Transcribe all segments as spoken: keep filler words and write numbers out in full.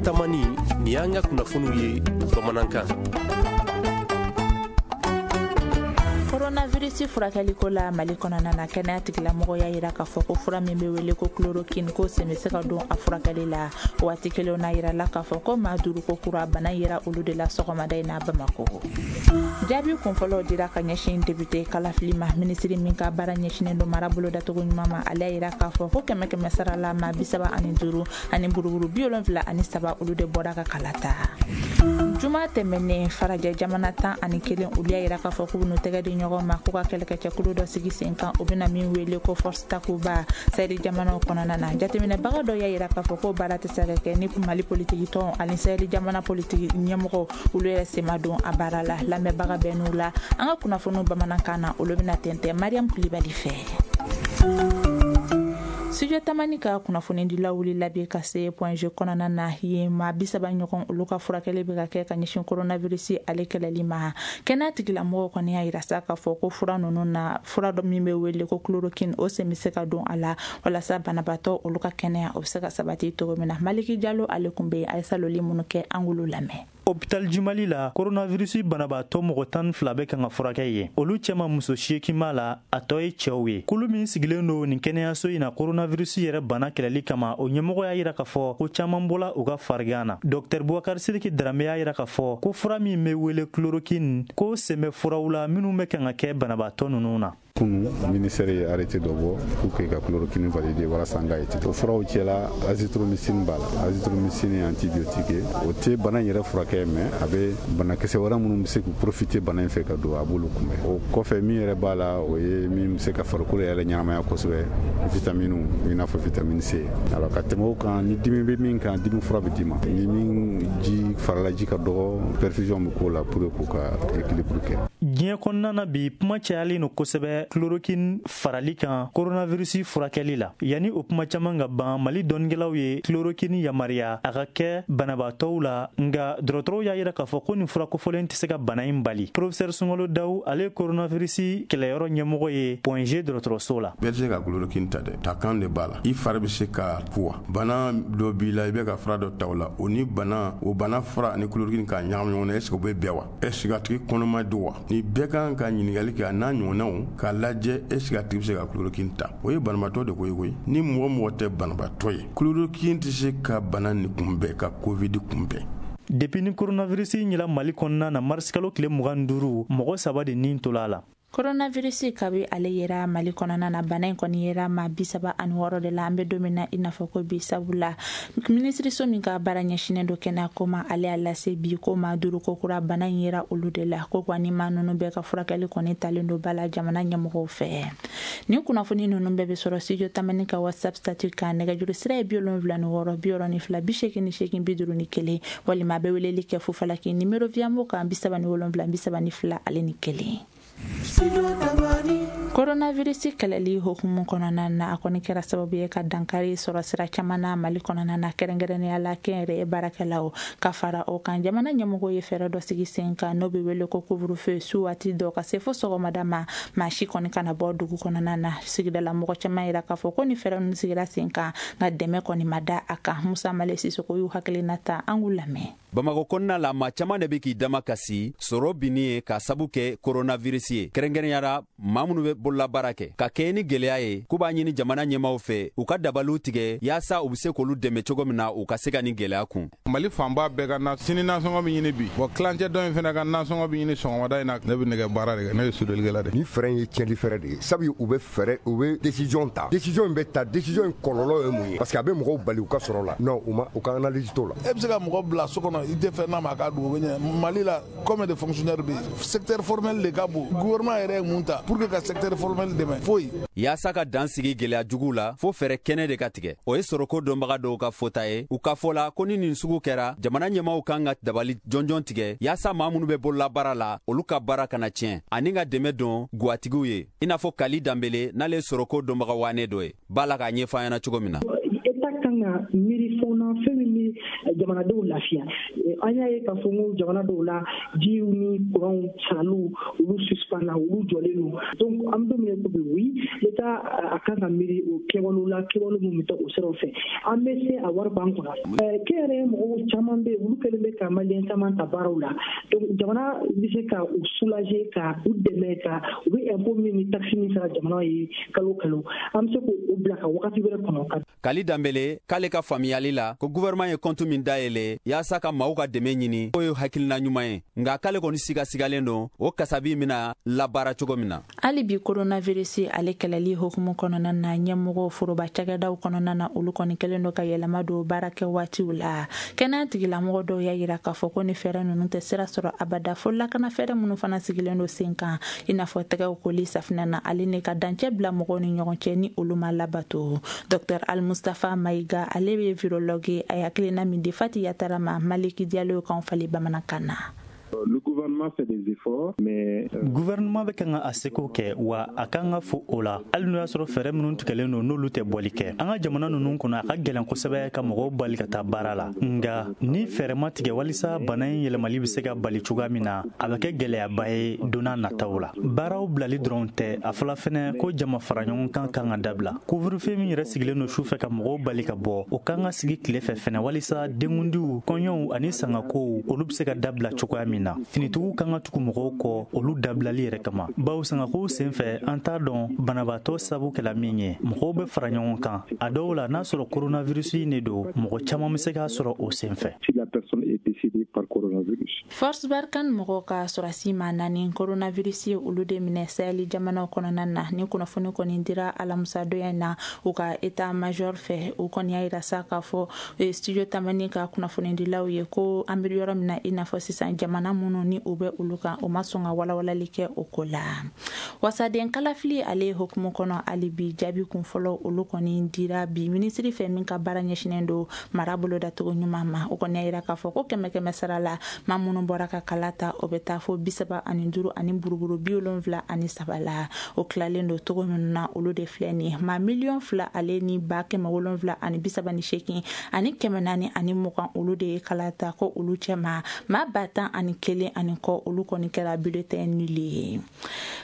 Tamani, nin y'an ka kunnafoniw ye bamanankan. Coronavirus furakɛliko la Mali kɔnɔna na, kɛnɛya tigilamɔgɔw y'a jira k'a fɔ ko fura min bɛ wele ko chloroquine ko sen bɛ se ka don a furakɛli la. Waati kelen na yira la k'a fɔ ko maa duuru ko kura bana yera olu de la sɔgɔmada in na Bamakɔ. Jaabi kunfɔlɔw dira ka ɲɛsin député kalafili ma. Minisiri min ka baara ɲɛsinnen don mara bolodacogo ɲuman ma, ale y'a jira k'a fɔ ko kɛmɛ kɛmɛ sara la maa bi saba ani duuru ani buruburu bi wolonfila ani saba olu de bɔra ka kala ta. Juma tɛmɛnen, farajɛ jamana tan ani kelen olu y'a jira k'a fɔ k'u n'u tɛgɛ di ɲɔgɔn ma k'u ka kɛlɛkɛcɛkulu dɔ sigi sen kan, o bɛna min wele ko Force Takuba Sahel jamanaw kɔnɔna na. Jateminɛbaga dɔ y'a jira k'a fɔ ko baara tɛ se ka kɛ ni Mali politiki tɔn ani Sahel jamana politiki ɲɛmɔgɔ olu yɛrɛ sen ma don a baara la. Lamɛnbaga bɛɛ n'u la, an ka kunnafoniw bamanankan na, olu bɛna tɛntɛn Mariam Kulibali fɛ. Studio Tamani ka kunnafonidilaw wulila bi ka se Point G kɔnɔna na. Yen maa bi saba ɲɔgɔn olu ka furakɛli bɛ ka kɛ ka ɲɛsin coronavirus ale kɛlɛli ma. Kɛnɛya tigilamɔgɔw kɔni y'a jira sa k'a fɔ ko fura ninnu na, fura dɔ min bɛ wele ko chloroquine, o sen bɛ se ka don a la walasa banabaatɔ olu ka kɛnɛya o bɛ se ka sabati cogo min na. Maliki Jalo ale tun bɛ yen, a ye saloli minnu kɛ, an k'olu lamɛn. Hôpital Jumali la, coronavirus banabaatɔ mɔgɔ tan ni fila bɛ kan ka furakɛ yen. Olu cɛma muso seegin b'a la, a tɔ ye cɛw ye. Kulu min sigilen don nin kɛnɛyaso in na coronavirus yɛrɛ bana kɛlɛli kama, o ɲɛmɔgɔ y'a jira k'a fɔ ko caman bɔla u ka farigan na. Docteur Boubacar Sidiki Darame y'a jira k'a fɔ ko fura min bɛ wele chloroquine, ko sen bɛ furaw la minnu bɛ kan ka kɛ banabaatɔ ninnu na. Kunu ministère ye arrêté dɔ bɔ pour que ka chloroquine valider walasa an ka étude. O furaw cɛla, azithromycine b'a la. Azithromycine ye antibiotique ye, o tɛ bana in yɛrɛ furakɛ, mais a bɛ banakisɛ wɛrɛ minnu bɛ se k'u profiter bana in fɛ ka don, a b'olu kunbɛn. O kɔfɛ, min yɛrɛ b'a la, o ye min bɛ se ka farikolo yɛrɛ ɲɛnamaya kosɛbɛ, vitamine, i n'a fɔ vitamine C. Alors, ka tɛmɛ o kan, ni dimi bɛ min kan, dimi fura bɛ d'i ma. Ni min ji farala ji ka dɔgɔ, perfusion bɛ k'o la pour que k'u ka équilibre kɛ. Diɲɛ kɔnɔna na bi, kuma cayalen don kosɛbɛ chloroquine farali kan coronavirus furakɛli la. Yanni o kuma caman ka ban, Mali dɔnnikɛlaw ye chloroquine yamaruya a ka kɛ banabaatɔw la, nka dɔgɔtɔrɔw y'a jira k'a fɔ ko nin fura kofɔlen tɛ se ka bana in bali. Professeur Sunkalo Dawu, ale ye coronavirus kɛlɛyɔrɔ ɲɛmɔgɔ ye Point G dɔgɔtɔrɔso la. Bɛɛ tɛ se ka chloroquine ta dɛ, ta kan de b'a la. I fari bɛ se ka kuwa, bana dɔ b'i la, i bɛ ka fura dɔ ta o la, o ni bana o bana fura ani chloroquine k'a ɲagami ɲɔgɔn na, est ce que o bɛ bɛn wa? Est ce que a tigi kɔnɔma don wa? Ni bɛɛ kan ka ɲininkali kɛ a n'a ɲɔgɔnnaw k'a lajɛ, est ce que a tigi bɛ se ka chloroquine ta? O ye banabaatɔ de ko ye koyi. Ni mɔgɔ mɔgɔ tɛ banabaatɔ ye, chloroquine tɛ se ka bana nin kunbɛn, ka covid kunbɛn. Depuis ni coronavirus ɲɛla Mali kɔnɔna na, mars kalo tile mugan ni duuru, mɔgɔ saba de nin tola a la. Coronavirus kabi ale yera Mali kɔnɔna na, bana in kɔni yera maa bi saba ani wɔɔrɔ de la an bɛ don min na i n'a fɔ ko bi. Sabula minisiriso min ka baara ɲɛsinnen don kɛnɛya ko ma, ale y'a lase bi ko maa duuru ko kura bana in yera olu de la. Ko kɔni maa ninnu bɛɛ ka furakɛli kɔni talen don ba la jamana ɲɛmɔgɔw fɛ. Nin kunnafoni ninnu bɛɛ bɛ sɔrɔ Studio Tamani ka WhatsApp statut kan. Nɛgɛjuru sira ye bi wolonwula ni wɔɔrɔ bi wɔɔrɔ ni fila bi seegin ni seegin bi duuru ni kelen, walima a bɛ weleli kɛ Fufalaki nimero Viamo kan bi saba ni wolonwula bi saba ni fila ale ni kelen. Coronavirus kɛlɛli hukumu kɔnɔna na, a kɔni kɛra sababu ye ka dankari sɔrɔ sira caman na Mali kɔnɔna na, kɛrɛnkɛrɛnnenya la kɛnyɛrɛye baarakɛlaw. Ka fara o kan, jamana ɲɛmɔgɔw ye fɛɛrɛ dɔ sigi sen kan n'o bɛ wele ko couvre-feu, su waati dɔ ka se fo sɔgɔmada ma, maa si kɔni kana bɔ dugu kɔnɔna na. Sigidala mɔgɔ caman yira k'a fɔ ko ni fɛɛrɛ ninnu sigira sen kan, nka dɛmɛ kɔni ma da a kan. Musa Male Sisoko y'u hakilina ta, an k'u lamɛn. Bamakɔ kɔnɔna la, maa caman de bɛ k'i dama kasi sɔrɔ binni ye k'a sabu kɛ coronavirus ye, kɛrɛnkɛrɛnyara maa minnu bɛ bololabaara kɛ ka kɛɲɛ ni gɛlɛya ye. K'u b'a ɲini jamana ɲɛmaw fɛ u ka dabaliw tigɛ yaasa u bɛ se k'olu dɛmɛ cogo min na u ka se ka nin gɛlɛya kun. Mali fanba bɛɛ ka na sini nasɔngɔ bɛ ɲini bi, bɔn tilancɛ dɔ in fana ka nasɔngɔ bɛ ɲini sɔgɔmada in na. Ne bɛ nɛgɛ baara de kɛ, ne ye sodelikɛla de. Ni fɛɛrɛ in ye tiɲɛli fɛɛrɛ de ye, sabu u bɛ fɛɛrɛ, u bɛ décision ta, décision in bɛ ta, décision in kɔlɔlɔ ye mun ye? Parce que a bɛ mɔgɔw bali u ka sɔrɔ la. Non, u ma u ka analyse t'o la. E bɛ se ka mɔgɔ bila so kɔnɔ, i tɛ fɛn n'a ma, a ka dugu bɛ ɲɛ. Mali la, combien de fonctionnaires bɛ yen? Secteur formel de ka bon. Gouvernement yɛrɛ ye mun ta pour que ka secteur formel dɛmɛ? Foyi. Yaasa ka dan sigi gɛlɛya juguw la, fo fɛɛrɛ kɛnɛ de ka tigɛ. O ye sɔrɔko dɔnbaga dɔw ka fɔta ye. U ka fɔ la ko ni nin sugu kɛra, jamana ɲɛmaw kan ka dabali jɔnjɔn tigɛ yaasa maa minnu bɛ bololabaara la, olu ka baara kana tiɲɛ, ani ka dɛmɛ don gwatigiw ye, i n'a fɔ Kali Danbele, n'ale ye sɔrɔko dɔnbaga waane dɔ ye, b'a la k'a ɲɛfɔ an ɲɛna cogo min na. État kan ka miiri fɛnw na, fɛn min bɛ jamanadenw lafiya. An y'a ye k'a fɔ ko jamana dɔw la, jiw ni kuranw saraliw olu suspend na, olu jɔlen don. Donc an bɛ don min na i ko bi, oui, l'État a kan ka miiri o kɛwalew la, kɛwale minnu bɛ taa o siraw fɛ. An bɛ se a wari b'an kunna. Kɛnyɛrɛye mɔgɔw caman bɛ yen, olu kɛlen bɛ ka maliyɛn caman ta baaraw la. Donc jamana bɛ se ka u soulager, ka u dɛmɛ, ka u bɛ impôt min ni taxe min sara jamana ye kalo kalo, an bɛ se k'o bila ka wagati wɛrɛ kɔnɔ. Kali Danbele k'ale ka faamuyali la ko gouvernement ye compte min dayɛlɛ yaasa ka maaw ka dɛmɛ ɲini, k'o ye hakilina ɲuman ye, nka k'ale kɔni sigasigalen don o kasabi bɛna labaara cogo min na. Hali bi coronavirus ale kɛlɛli hukumu kɔnɔna na, ɲɛmɔgɔ foroba cakɛdaw kɔnɔna na, olu kɔni kɛlen don ka yɛlɛma don baara kɛ waatiw la. Kɛnɛya tigilamɔgɔ dɔw y'a yira k'a fɔ ko ni fɛɛrɛ ninnu tɛ sira sɔrɔ abada, fo lakana fɛɛrɛ minnu fana sigilen don sen kan, i n'a fɔ tɛgɛw koli safinɛ na, ale ni ka dancɛ bila mɔgɔw ni ɲɔgɔn cɛ ni olu ma labato. Docteur Al Mustafa Maïga, ale bɛ virologue ye, a hakilina min di Fati Yatara ma, Maliki Diallo k'anw falen bamanankan na. Le gouvernement fait des efforts, mais gouvernement bɛ kan ka a seko kɛ, wa a kan ka fo o la, hali n'o y'a sɔrɔ fɛɛrɛ minnu tigɛlen don n'olu tɛ bɔli kɛ. An ka jamana ninnu kɔnɔ, a ka gɛlɛn kosɛbɛ ka mɔgɔw bali ka taa baara la, nka ni fɛɛrɛ ma tigɛ walisa bana in yɛlɛmali bɛ se ka bali cogoya min na, a bɛ kɛ gɛlɛyaba ye don n'a nataw la. Baaraw bilali dɔrɔn tɛ, a fɔla fɛnɛ ko jama fara ɲɔgɔn kan kan ka dabila. Couvre-feu min yɛrɛ sigilen don su fɛ ka mɔgɔw bali ka bɔ, o kan ka sigi tile fɛ fɛnɛ, walisa denkundiw, kɔɲɔw ani sangakow olu bɛ se ka dabila cogoya min na. Finitigiw kan ka tugu mɔgɔw kɔ olu dabilali yɛrɛ kama, bawo sangakow senfɛ an t'a dɔn banabaatɔ sabu kɛla min ye. Mɔgɔw bɛ fara ɲɔgɔn kan, a dɔw la n'a sɔrɔ coronavirus in de don, mɔgɔ caman bɛ se k'a sɔrɔ o senfɛ. Force Barkhane mɔgɔw ka sɔrɔsi maa naani coronavirus ye olu de minɛ Sahel jamanaw kɔnɔna na. Ni kunnafoni kɔni dira alamisadonya in na u ka état major fɛ, u kɔni y'a yira sa k'a fɔ studio Tamani ka kunnafonidilaw ye ko an bɛ yɔrɔ min na i n'a fɔ sisan, jamana minnu ni u bɛ olu kan, o ma sɔn ka walawalali kɛ o ko la. Wasaden kalafili ale hukumu kɔnɔ, hali bi jaabi kun fɔlɔ olu kɔni dira bi minisiri fɛ min ka baara ɲɛsinnen don mara bolodacogo ɲuman ma. O kɔni y'a yira k'a fɔ ko kɛmɛ kɛmɛ sara la, maa minnu bɔra ka kala ta, o bɛ taa fo bi saba ani duuru ani buruburu bi wolonwula ani saba la. O tilalen don cogo minnu na, olu de filɛ nin ye: maa miliyɔn fila ale ni ba kɛmɛ wolonwula ani bi saba ni seegin ani kɛmɛ naani ani mugan, olu de ye kala ta, ko olu cɛma maa ba tan ani kelen ani kɔ, olu kɔni kɛra bulletin nul ye.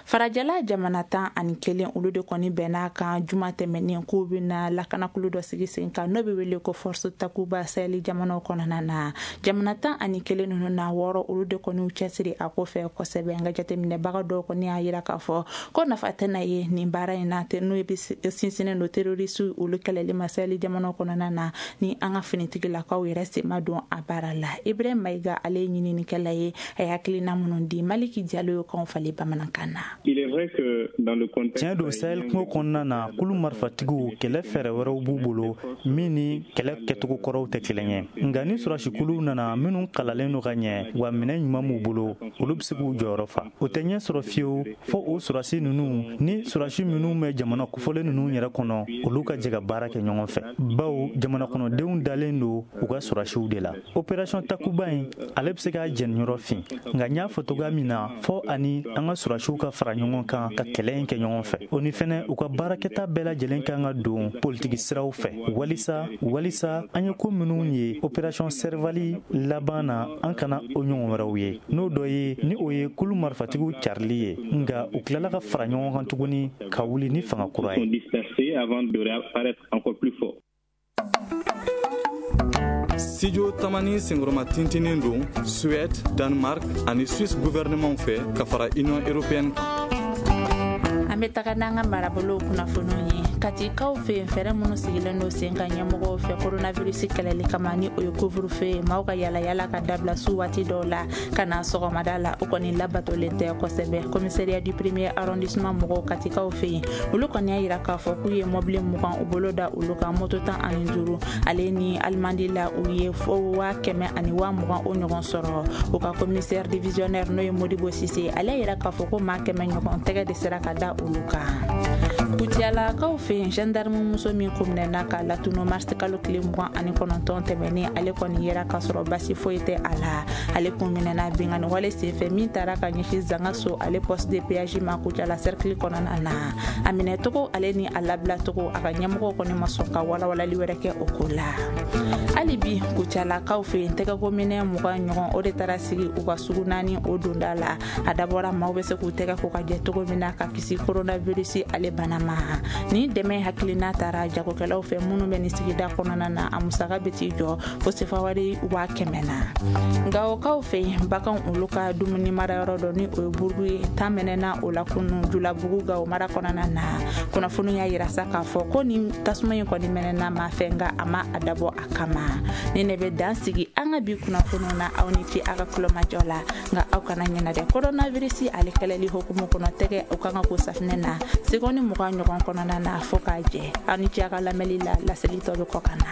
Farajɛla jamana tan ani kelen olu de kɔni bɛn'a kan juma tɛmɛnen k'u bɛna lakanakulu dɔ sigi sen kan, n'o bɛ wele ko Force Takuba Sahel jamanaw kɔnɔna na. Jamana tan ani kelen ninnu na, wɔɔrɔ olu de kɔni y'u cɛsiri a ko fɛ kosɛbɛ. Nka jateminɛbaga dɔw kɔni y'a yira k'a fɔ ko nafa tɛna ye nin baara in na, n'o bɛ sinsinnen don terroriste olu kɛlɛli ma Sahel jamanaw kɔnɔna na, ni an ka finitigilakaw yɛrɛ sen ma don a baara la. Ibrahim Maïga, ale ye ɲininikɛla ye, a ye hakilina minnu di Maliki Diallo ye k'anw falen bamanankan na. Tiɲɛ don, Sahel kungo kɔnɔna na, kulu marifatigiw kɛlɛ fɛɛrɛ wɛrɛw b'u bolo min ni kɛlɛ kɛcogo kɔrɔw tɛ kelen ye. Nka ni sɔrɔsikuluw nana minnu kalalen don ka ɲɛ, wa minɛn ɲuman b'u bolo, olu bɛ se k'u jɔyɔrɔ fa. O tɛ ɲɛ sɔrɔ fiyewu fo o sɔrɔsi ninnu ni sɔrɔsi minnu bɛ jamana kofɔlen ninnu yɛrɛ kɔnɔ, olu ka jɛ ka baara kɛ ɲɔgɔn fɛ, bawo jamana kɔnɔdenw dalen don u ka sɔrɔsiw de la. Opération Takuba in, ale bɛ se k'a jɛniyɔrɔ fin, nka n y'a fɔ cogoya min na, fɔ ani an ka sɔrɔsiw ka fara ɲɔgɔn kan ka kɛlɛ in kɛ ɲɔgɔn fɛ. O ni fɛnɛ u ka baarakɛta bɛɛ lajɛlen kan ka don politiki siraw fɛ, walisa walisa an ye ko minnu ye opération Serval laban na, an kana o ɲɔgɔn wɛrɛw ye. N'o dɔ ye ni o ye kulu marifatigiw carili ye, nka u tilala ka fara ɲɔgɔn kan tuguni ka wuli ni fanga kura ye. Studio Tamani senkɔrɔma tintinin don Suède, Danemark ani Suisse gouvernement fɛ ka fara Union européenne kan. An bɛ taga n'an ka marabolow kunnafoniw ye. Katikaw fɛ yen, fɛɛrɛ minnu sigilen don sen kan ɲɛmɔgɔw fɛ coronavirus kɛlɛli kama, ni o ye couvre-feu ye, maaw ka yala yala ka dabila su waati dɔw la ka na sɔgɔmada la, o kɔni labatolen tɛ kosɛbɛ. Commissariat du premier arrondissement mɔgɔw Katikaw fɛ yen, olu kɔni y'a yira k'a fɔ k'u ye mɔbili mugan u bolo da olu kan, moto tan ani duuru, ale ni alimandi la u ye fo waa kɛmɛ ani waa mugan o ɲɔgɔn sɔrɔ. U ka commissaire divisionnaire n'o ye Modibo Sise, ale y'a yira k'a fɔ ko maa kɛmɛ ɲɔgɔn tɛgɛ de sera ka da olu kan. Kucalakaw fɛ fɛ yen, gendarme muso min kun minɛna k'a latunu mars kalo tile mugan ani kɔnɔntɔn tɛmɛnen, ale kɔni yera k'a sɔrɔ basi foyi tɛ a la. Ale kun minɛna binkanni wale senfɛ min taara ka ɲɛsin Zangaso ale poste de péage ma Kucala cercle kɔnɔna na. A minɛcogo ale ni a labilacogo, a ka ɲɛmɔgɔw kɔni ma sɔn ka walawalali wɛrɛ kɛ o ko la. Hali bi Kucalakaw fɛ yen, tɛgɛkominɛ mugan ɲɔgɔn o de taara sigi u ka sugu naani o donda la. A dabɔra maaw bɛ se k'u tɛgɛ ko ka jɛ cogo min na ka kisi coronavirus ale bana ma. Ni dɛmɛ hakilina taara jagokɛlaw fɛ minnu bɛ nin sigida kɔnɔna na, a musaka bɛ t'i jɔ fo sefawari waa kɛmɛ na. Gawokaw fɛ yen, baganw olu ka dumuni marayɔrɔ dɔ ni o ye burugu ye, tan mɛnɛna o la kunu Julabugu Gawo mara kɔnɔna na. Kunnafoni y'a yira sa k'a fɔ ko nin tasuma in kɔni mɛnɛna maa fɛ, nka a ma a dabɔ a kama. Ni ne bɛ dan sigi an ka bi kunnafoniw na, aw ni ce a ka kulomajɔ la. Nka aw kana ɲinɛ dɛ, coronavirus ale kɛlɛli hukumu kɔnɔ, tɛgɛ o kan ka ko safinɛ na segɔni mugan ɲɔgɔn kɔnɔna na fo k'a jɛ. Aw ni ce a ka lamɛnli la, laseli tɔ bɛ kɔ ka na.